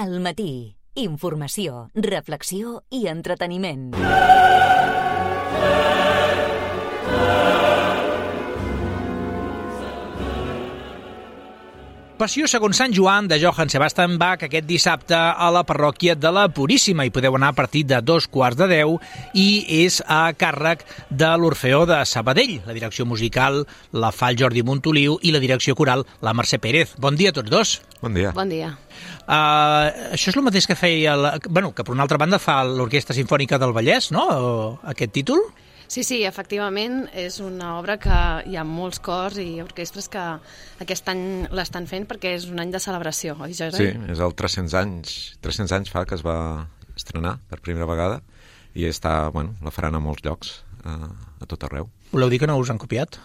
Al matí, informació, reflexió i entreteniment. Passió segons Sant Joan de Johann Sebastian Bach aquest dissabte a la parròquia de la Puríssima. Hi podeu anar a partir de 9:15 i és a càrrec de l'Orfeó de Sabadell. La direcció musical la fa el Jordi Montoliu i la direcció coral la Mercè Pérez. Bon dia a tots dos. Bon dia. Bon dia. Això és el mateix que feia, que per una altra banda fa l'Orquestra Simfònica del Vallès, no? Aquest títol? Sí, efectivament, és una obra que hi ha molts cors i orquestres que aquest any l'estan fent perquè és un any de celebració, oi, Jordi? Sí, és el 300 anys fa que es va estrenar per primera vegada i la faran a molts llocs, a tot arreu. Voleu dir que no us han copiat?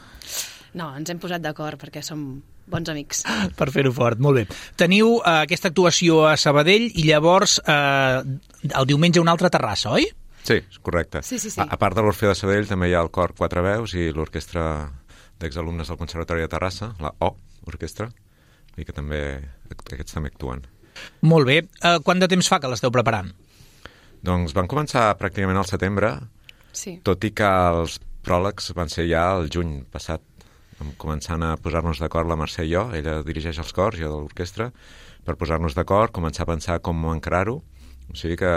No, ens hem posat d'acord perquè som bons amics. Per fer-ho fort, molt bé. Teniu aquesta actuació a Sabadell i llavors el diumenge una altra a Terrassa, oi? Sí, correcte. Sí. A part de l'Orfeó de Sabadell també hi ha el cor Quatre Veus i l'orquestra d'exalumnes del Conservatori de Terrassa, la Orquestra, i que aquests també actuen. Molt bé. Quant de temps fa que l'esteu preparant? Doncs van començar pràcticament al setembre, sí. Tot i que els pròlegs van ser ja el juny passat. Vam començant a posar-nos d'acord la Mercè i jo, ella dirigeix els cors, jo de l'orquestra, per posar-nos d'acord, començar a pensar com encarar-ho. O sigui que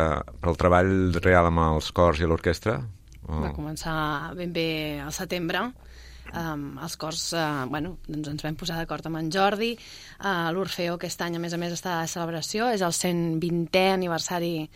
pel treball real amb els cors i l'orquestra... Va començar ben bé al setembre. Els cors, doncs ens vam posar d'acord amb en Jordi. L'Orfeó aquest any, a més, està de celebració. És el 120è aniversari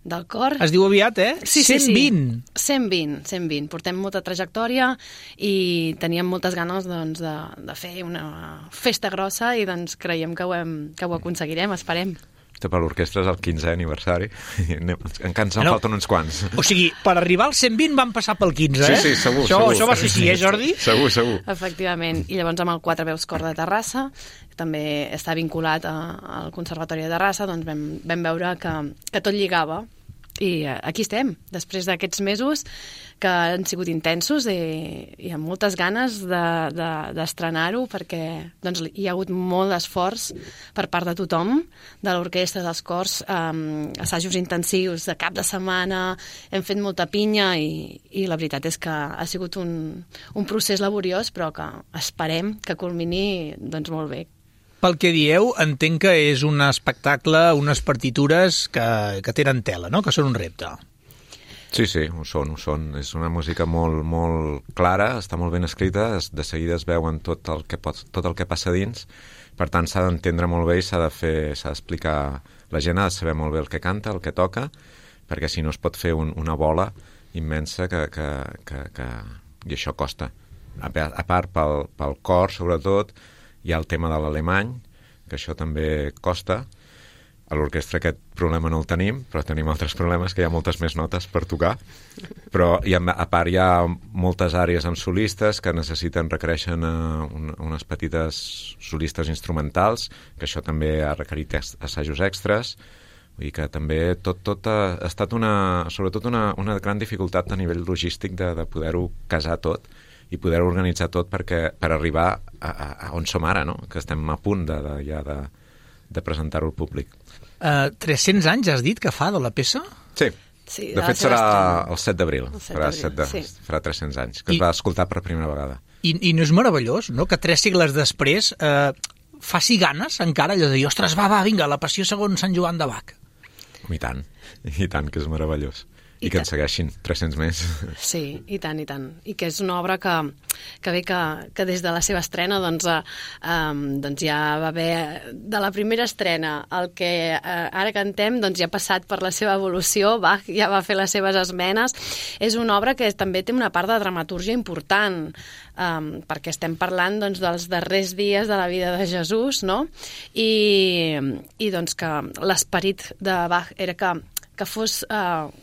del cor. Es diu aviat, eh? Sí. 120. 120. Portem molta trajectòria i teníem moltes ganes de fer una festa grossa i doncs creiem que ho aconseguirem, esperem. Per l'orquestra és el 15è aniversari. Encara ens en falten uns quants. O sigui, per arribar al 120 van passar pel 15, eh? Sí, segur. Això va ser així, Jordi? Segur. Efectivament. I llavors amb el Quatre Veus Cor de Terrassa, també està vinculat al Conservatori de Terrassa, doncs vam veure que tot lligava. I aquí estem, després d'aquests mesos que han sigut intensos i amb moltes ganes d'estrenar-ho perquè doncs, hi ha hagut molt d'esforç per part de tothom, de l'orquestra, dels cors, assajos intensius de cap de setmana, hem fet molta pinya i la veritat és que ha sigut un procés laboriós però que esperem que culmini doncs, molt bé. Pel que dieu, entenc que és un espectacle, unes partitures que tenen tela, no? Que són un repte. Sí, ho són. És una música molt, molt clara, està molt ben escrita, de seguida es veuen tot el que passa dins, per tant s'ha d'entendre molt bé i s'ha d'explicar. La gent ha de saber molt bé el que canta, el que toca, perquè si no es pot fer una bola immensa i això costa. A part pel cor, sobretot, hi ha el tema de l'alemany, que això també costa. A l'orquestra aquest problema no el tenim, però tenim altres problemes, que hi ha moltes més notes per tocar. Però a part hi ha moltes àrees amb solistes que requereixen unes petites solistes instrumentals, que això també ha requerit assajos extras. Vull dir que també tot ha estat sobretot una gran dificultat a nivell logístic de poder-ho casar tot i poder organitzar tot per arribar a on som ara, no? Que estem a punt de presentar-ho al públic. 300 anys has dit que fa de la peça? Sí. De fet serà el 7 d'abril. Farà 300 anys, que es va escoltar per primera vegada. I no és meravellós, no?, que 3 segles després faci ganes encara allò de dir, ostres, va, vinga, la passió segons Sant Joan de Bach. I tant, que és meravellós. I que en segueixin 300 més. Sí, i tant. I que és una obra que ve que des de la seva estrena doncs ja va haver, de la primera estrena, el que ara cantem doncs ja ha passat per la seva evolució, Bach ja va fer les seves esmenes. És una obra que també té una part de dramatúrgia important, perquè estem parlant doncs, dels darrers dies de la vida de Jesús, no? I doncs que l'esperit de Bach era que fos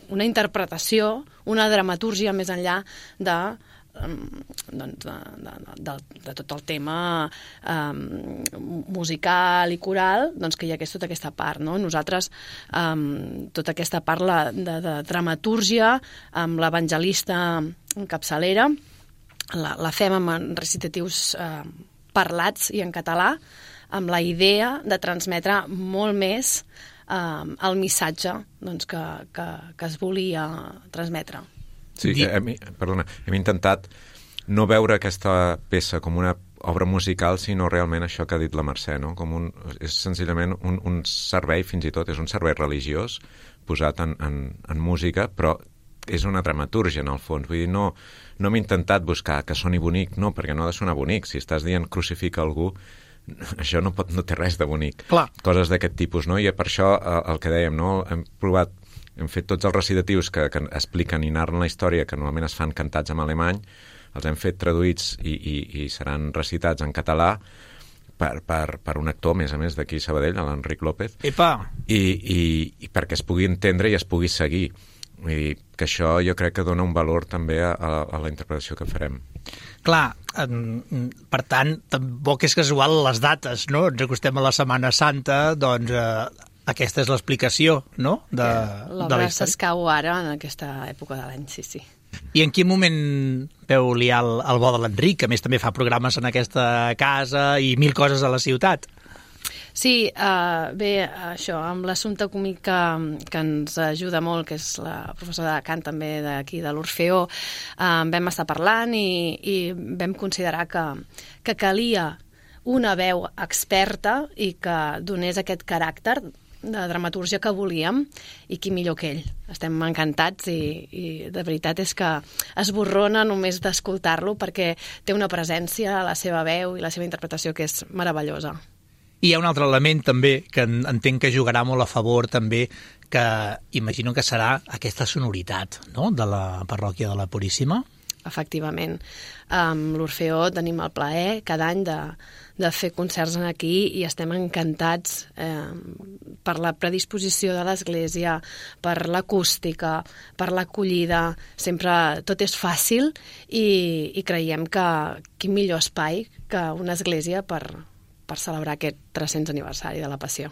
una interpretació, una dramatúrgia més enllà de tot el tema musical i coral, doncs que hi hagués tota aquesta part, no? Nosaltres, tota aquesta part de dramatúrgia, amb l'evangelista en capçalera, la fem amb recitatius parlats i en català, amb la idea de transmetre molt més el missatge doncs, que es volia transmetre. Sí, hem intentat no veure aquesta peça com una obra musical, sinó realment això que ha dit la Mercè, no? És senzillament un servei, fins i tot, és un servei religiós posat en música, però és una dramatúrgia, en el fons. Vull dir, no hem intentat buscar que soni bonic, no, perquè no ha de sonar bonic. Si estàs dient crucifica algú, això no té res de bonic. Clar. Coses d'aquest tipus, no? I per això el que dèiem, no? Hem fet tots els recitatius que expliquen i narren la història, que normalment es fan cantats en alemany, els hem fet traduïts i seran recitats en català per un actor, a més d'aquí a Sabadell, l'Enric López. Epa! I perquè es pugui entendre i es pugui seguir. Vull dir que això jo crec que dona un valor també a la interpretació que farem. Clar, per tant, tampoc és casual les dates, no? Ens acostem a la Setmana Santa, doncs aquesta és l'explicació, no? L'obra s'escau ara en aquesta època de l'any, sí. I en quin moment veu liar el bo de l'Enric, que a més també fa programes en aquesta casa i 1000 coses a la ciutat? Sí, bé, això, amb l'assumpte còmic que ens ajuda molt, que és la professora de cant també d'aquí de l'Orfeó, vam estar parlant i vam considerar que calia una veu experta i que donés aquest caràcter de dramatúrgia que volíem, i qui millor que ell. Estem encantats i de veritat és que esborrona només d'escoltar-lo, perquè té una presència, la seva veu i la seva interpretació que és meravellosa. I hi ha un altre element també que entenc que jugarà molt a favor també, que imagino que serà aquesta sonoritat, no?, de la parròquia de la Puríssima. Efectivament. Amb l'Orfeó tenim el plaer cada any de fer concerts aquí i estem encantats per la predisposició de l'Església, per l'acústica, per l'acollida. Sempre tot és fàcil i creiem que quin millor espai que una església per celebrar aquest 300 aniversari de la Passió.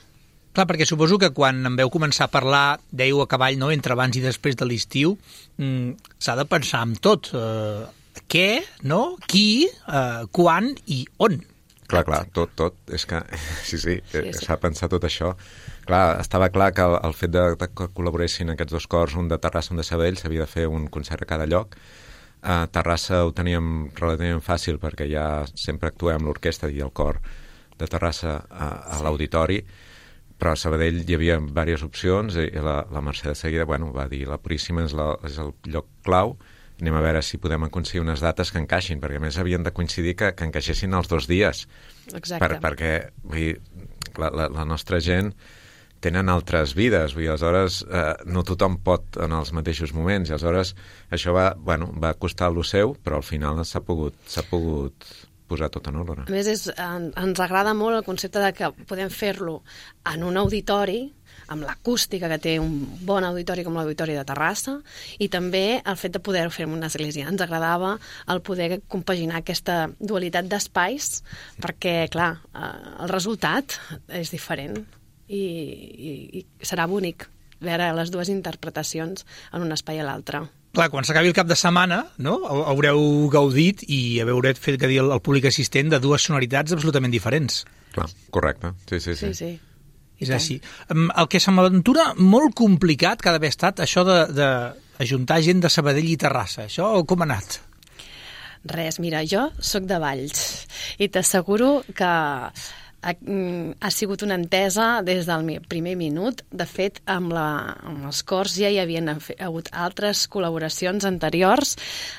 Clar, perquè suposo que quan en veu començar a parlar, dèieu a cavall, no?, entre abans i després de l'estiu, s'ha de pensar en tot. Què, no?, qui, quan i on. Clar, tot. És que, sí, s'ha de pensar tot això. Clar, estava clar que el fet de que col·laboressin aquests dos cors, un de Terrassa i un de Sabadell, s'havia de fer un concert a cada lloc. A Terrassa ho teníem relativament fàcil perquè ja sempre actuem amb l'orquestra i el cor de Terrassa a l'auditori, però a Sabadell hi havia diverses opcions i la Mercè de seguida va dir la Puríssima és el lloc clau, anem a veure si podem aconseguir unes dates que encaixin, perquè a més havien de coincidir que encaixessin els 2 dies. Exacte. Perquè vull dir, la nostra gent tenen altres vides, vull dir, aleshores no tothom pot en els mateixos moments, i aleshores això va costar lo seu, però al final s'ha pogut posar tot en ordre. A més, ens agrada molt el concepte de que podem fer-lo en un auditori, amb l'acústica que té un bon auditori com l'auditori de Terrassa, i també el fet de poder-ho fer en una església. Ens agradava el poder compaginar aquesta dualitat d'espais, perquè, clar, el resultat és diferent i serà bonic veure les dues interpretacions en un espai a l'altre. Clar, quan s'acabi el cap de setmana, no?, haureu gaudit i haureu fet que dir al públic assistent de dues sonoritats absolutament diferents. Clar, correcte. Sí. És així. El que se m'aventura molt complicat que ha d'haver estat això d'ajuntar gent de Sabadell i Terrassa. Això com ha anat? Res, mira, jo sóc de Valls i t'asseguro que ha sigut una entesa des del primer minut. De fet, amb els cors ja hi havien hagut altres col·laboracions anteriors,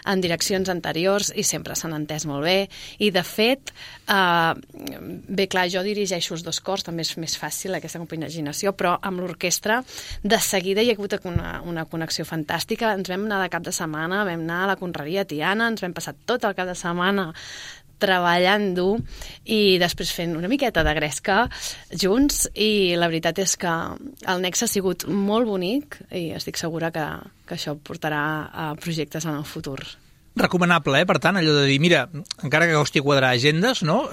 en direccions anteriors, i sempre s'han entès molt bé. I, de fet, bé, clar, jo dirigeixo els 2 cors, també és més fàcil aquesta compaginació, però amb l'orquestra de seguida hi ha hagut una connexió fantàstica. Ens vam anar de cap de setmana, vam anar a la Conreria Tiana, ens vam passar tot el cap de setmana treballant dur i després fent una miqueta de gresca junts, i la veritat és que el nexe ha sigut molt bonic i estic segura que això portarà a projectes en el futur. Recomanable, per tant, allò de dir, mira, encara que costi quadrar agendes, no?,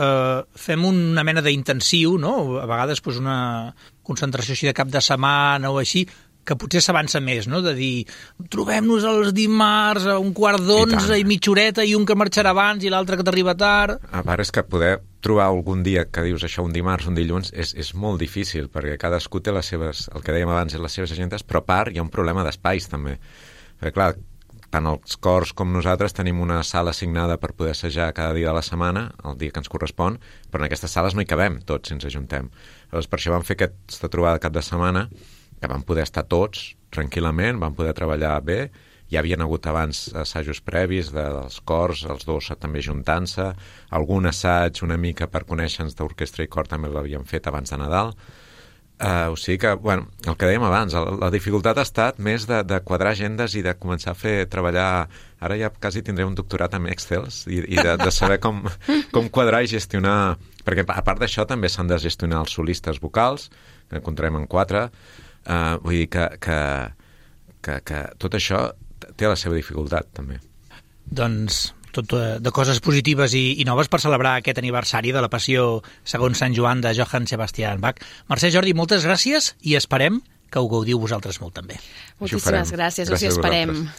fem una mena d'intensiu, no?, a vegades una concentració així de cap de setmana o així, que potser s'avança més, no? De dir, trobem-nos els dimarts a 11:15 i mitja horeta i un que marxarà abans i l'altre que t'arriba tard. A part, és que poder trobar algun dia que dius això, un dimarts, un dilluns, és molt difícil, perquè cadascú té les seves, el que dèiem abans, les seves agendes, però a part hi ha un problema d'espais, també. Perquè, clar, tant els cors com nosaltres tenim una sala assignada per poder assajar cada dia de la setmana, el dia que ens correspon, però en aquestes sales no hi cabem tots si ens ajuntem. Llavors, per això vam fer aquesta trobada cap de setmana, que vam poder estar tots tranquil·lament, vam poder treballar bé, hi havien hagut abans assajos previs dels cors, els dos també juntant-se, algun assaig una mica per conèixer-nos d'orquestra i cor també l'havíem fet abans de Nadal. O sigui que, bueno, el que dèiem abans, la dificultat ha estat més de quadrar agendes i de començar a treballar. Ara ja quasi tindré un doctorat en Excels i de saber com quadrar i gestionar, perquè a part d'això també s'han de gestionar els solistes vocals, que encontrem en 4, vull dir que tot això té la seva dificultat també. Doncs tot de coses positives i noves per celebrar aquest aniversari de la Passió segons Sant Joan de Johann Sebastian Bach. Mercè, Jordi, moltes gràcies i esperem que ho gaudiu vosaltres molt també. Moltíssimes gràcies, us hi esperem.